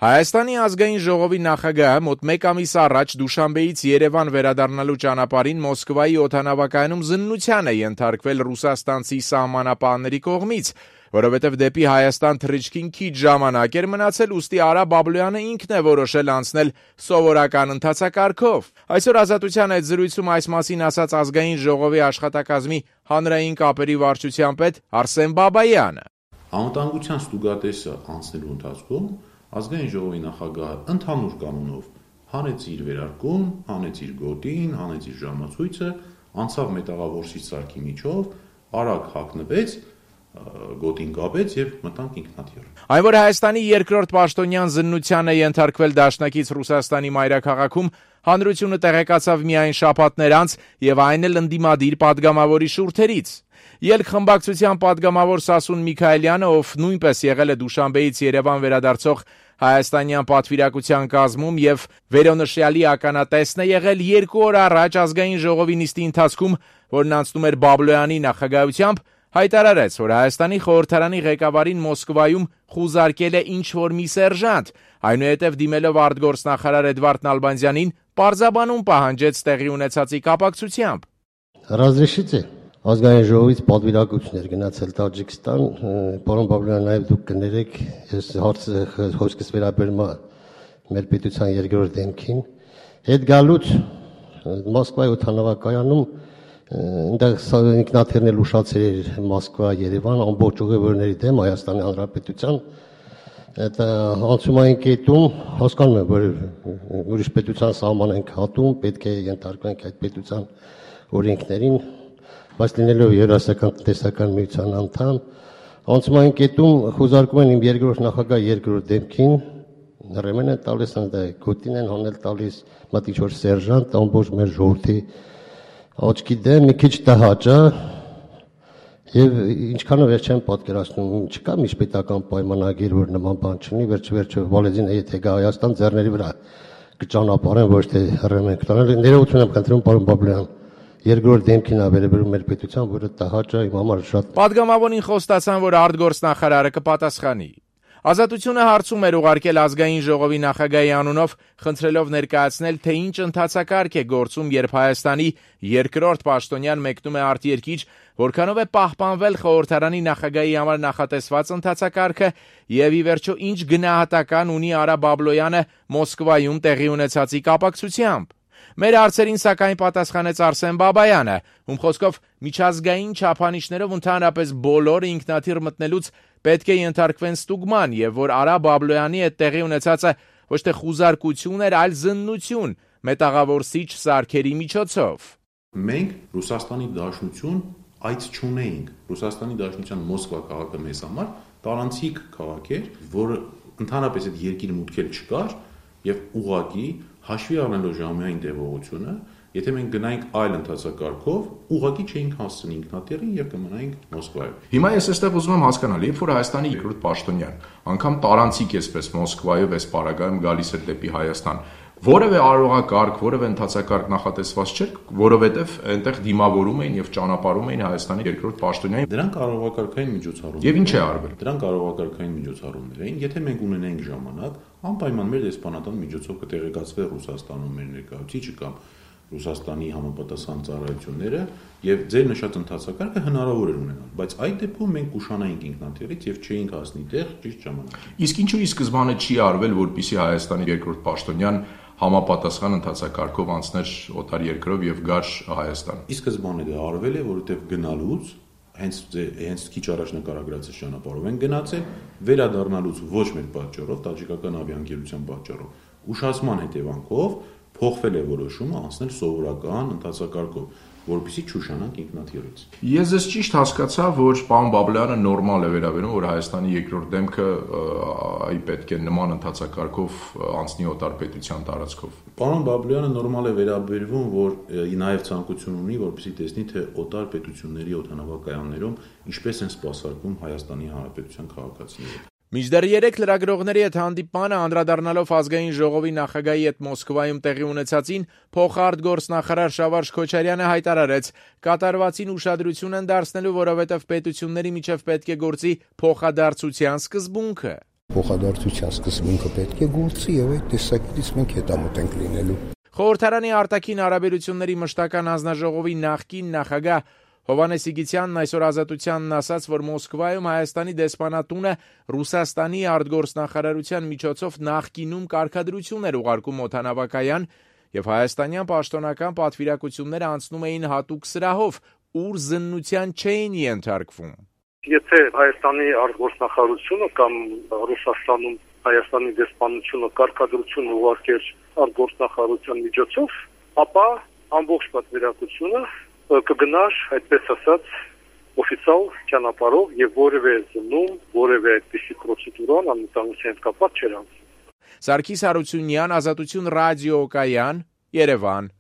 Հայաստանի ազգային ժողովի նախագահը մոտ մեկ ամիս առաջ Դուշանբեից Երևան վերադառնալու ճանապարհին Մոսկվայի օդանավակայանում զննության է ենթարկվել ռուսաստանցի սահմանապահների կողմից, որովհետև դեպի Հայաստան թռիչքին քիչ ժամանակ էր մնացել, ուստի Արա Բաբլոյանը ինքն է որոշել անցնել սովորական ընթացակարգով։ Այսօր Ազատության հետ զրույցում այս մասին ասաց ազգային ժողովի աշխատակազմի հանրային կապերի վարչության պետ Արսեն Բաբայանը։ Անվտանգության ստուգատեսը անցնելու ընթացքում ազգային ժողովի նախագահը ընդհանուր կանոնով հանեց իր վերարկուն, հանեց իր գոտին, հանեց իր ժամացույցը, անցավ մետաղավորսի սարքի միջով, արագ հագնվեց, գոտին կապեց եւ մտանք ինքնաթիռ։ Այն որ Հայաստանի երկրորդ պաշտոնյան զննության է ենթարկվել դաշնակից Ռուսաստանի մայրաքաղաքում, հանրությունը տեղեկացավ միայն շաբաթներ անց եւ այն էլ ընդդիմադիր падգամավորի շուրթերից։ Ելք խմբակցության падգամավոր Սասուն Միքայելյանը, ով նույնպես եղել է Դուշանբեից Երևան վերադարձող հայաստանյան պատվիրակության կազմում եւ վերոնշյալի ականատեսն է եղել 2 օր առաջ ազգային ժողովի նիստի ընթացքում, որն անցնում էր Բաբլոյանի նախագահությամբ, հայտարարեց, որ Հայաստանի խորհրդարանի ղեկավարին Մոսկվայում խուզարկել է ինչ-որ մի սերժանտ, այնուհետև դիմելով արտգործնախարար Էդվարդ Նալբանդյանին, պարզաբանում պահանջեց տեղի ունեցածի կապակցությամբ։ Разрешите ազգային ժողովից պատվիրակություններ գնացել Տաջիկստան, պարոն Բաբլոյան, նաև դուք կներեք, ես հարցը խոսքս վերաբերում է մեր պետության երկրորդ դեմքին, հետ գալուց Մոսկվայի օդանավակայանում այնտեղ ինքնաթիռն էլ ուշացել էր Մոսկվա, Երևան, ամբողջ ուղևորների դեմ Հայաստանի Հանրապետության այդ անցումային կետում հասկանում եմ, որ ուրիշ պետության սահման ենք հատում, պետք է ենթարկվենք այդ պետության օրենքներին, բայց լինելով Եվրասիական տնտեսական միության անդամ, անցումային կետում խոզարկում են իմ երկրորդ նախագահ երկրորդ դեմքին, հրեման են տալիս, գոտին են հանել տալիս, մտի ինչ-որ սերժանտ, ամբողջ մեր ժողովրդի աչքի դեմ մի քիչ տհաճ է, եւ ինչքանով ես չեմ պատկերացնում, չկա միջպետական պայմանագիր, որ նման բան չունի, վերջ-վերջը Վալեզինը եթե գա Հայաստան ձեռների վրա կճանապարհեն, ոչ թե հրեման կտանել, ներողություն եմ խնդրում, պարոն Բաբլոյան, երկրորդ դեմքին ավերաբերում մեր պետության, որը տհաճ է, իմ համար շատ։ Պատգամավորին խոստացան, որ արտգործնախարարը կպատասխանի։ Ազատությունը հարցում էր ուղարկել ազգային ժողովի նախագահի անունով, խնդրելով ներկայացնել, թե ինչ ընթացակարգ է գործում, երբ Հայաստանի երկրորդ պաշտոնյան մեկնում է արտերկիր, որքանով է պահպանվել խորհրդարանի նախագահի համար նախատեսված ընթացակարգը եւ ի վերջո ինչ գնահատական ունի Արա Բաբլոյանը Մոսկվայում տեղի ունեցածի կապակցությամբ։ Մեր հարցերին սակայն պատասխանեց Արսեն Բաբայանը, ում խոսքով միջազգային չափանիշներով ընդհանրապես բոլոր ինքնաթիռ մտնելուց պետք է ենթարկվեն ստուգման եւ որ Արա Բաբլոյանի հետ տեղի ունեցածը ոչ թե խուզարկություն էր, այլ զննություն մետաղավորսիչ սարքերի միջոցով։ Մենք Ռուսաստանի Դաշնություն այց չունեինք։ Ռուսաստանի Դաշնության Մոսկվա քաղաքը մեզ համար տարանցիկ քաղաք էր, որը ընդհանրապես այդ երկիր մուտքեր չկար եւ ուղղակի հաշվի առնելով ժամային տևողությունը, եթե մենք գնայինք այլ ընթացակարգով, ուղղակի չէինք հասցնի ինքնաթիռին եւ կմնայինք Մոսկվայում։ Հիմա ես այստեղ ուզում եմ հասկանալ, երբ որ Հայաստանի երկրորդ պաշտոնյան, անգամ տարանցիկ էսպես Մոսկվայով էս պարագայում գալիս էր դեպի Հայաստան, որևէ արարողակարգ, որևէ ընթացակարգ նախատեսված չէր, որովհետև այնտեղ դիմավորում էին եւ ճանապարհում էին Հայաստանի երկրորդ պաշտոնյային։ Դրանք արարողակարգային միջոցառումներ։ Եվ ինչ է արվել։ Դրանք արարողակարգային միջոցառումներ էին, եթե մենք ունենայինք ժամանակ, անպայման մեր դեսպանատան միջոցով կտեղեկացվեր Ռուսաստանում մեր ներկայացուցիչը կամ Ռուսաստանի համապատասխան ծառայությունները եւ ձեր նշած ընթացակարգը հնարավոր էր ունենալ, բայց այդ դեպքում մենք կուշանայինք ինքնաթիռից եւ չէինք հասնի տեղ ճիշտ ժամանակին։ Իսկ ինչու ի սկզբանե չի արվել, որպեսզի Հայաստանի երկրորդ պաշտոնյան համապատասխան ընթացակարգով անցներ օտար երկրով եւ գար Հայաստան։ Ի սկզբանե դա արվել է, որովհետեւ գնալուց հենց քիչ առաջ նկարագրած ճանապարհով են գնացել, վերադառնալուց ոչ մեր պատճառով, տաջիկական ավիաընկերության պատճառով, ուշացման հետևանքով փոխվել է որոշումը անցնել սովորական ընթացակարգով, որպեսզի չուշանանք ինքնաթիռից։ Ես ես ճիշտ հասկացա, որ պարոն Բաբլոյանը նորմալ է վերաբերում, որ Հայաստանի երկրորդ դեմքը այ պետք է նման ընթացակարգով անցնի օտար պետության տարածքով։ Պարոն Բաբլոյանը նորմալ է վերաբերվում, որ նաև ցանկություն ունի, որպեսզի տեսնի, թե օտար պետությունների օդանավակայաններում ինչպես են սպասարկում Հայաստանի Հանրապետության քաղաքացիները։ Մինչդեռ 3 լրագրողների հետ հանդիպմանը անդրադառնալով ազգային ժողովի նախագահի հետ Մոսկվայում տեղի ունեցածին, փոխարտգործնախարար Շավարժ Քոչարյանը հայտարարեց, կատարվածին ուշադրություն են դարձնելու, որովհետև պետությունների միջև պետք է գործի փոխադարձության սկզբունքը։ Փոխադարձության սկզբունքը պետք է գործի եւ այդ տեսակետից մենք հետամուտ ենք լինելու։ Խորհրդարանի արտաքին հարաբերությունների մշտական հանձնաժողովի նախկին նախագահ Հովհաննես Սիգիցյանն այսօր Ազատությանն ասաց, որ Մոսկվայում Հայաստանի դեսպանատունը Ռուսաստանի արտգործնախարարության միջոցով նախկինում կարգադրություն էր ուղարկում օդանավակայան եւ հայաստանյան պաշտոնական պատվիրակությունները անցնում էին հատուկ սրահով, ուր զննության չէին ենթարկվում։ Եթե Հայաստանի արտգործնախարարությունը կամ Ռուսաստանում Հայաստանի դեսպանությունը կարգադրություն ուղարկեր արտգործնախարարության միջոցով, ապա ամբողջ պատվիրակությունը կգնար, այդպես ասած, օֆիցիալ ճանապարհով եւ որևէ զննում, որևէ այդպիսի պրոցեդուրան անվտանգության հետ կապված չէր անցնում։ Սարգիս Հարությունյան, Ազատություն ռադիոկայան, Երևան։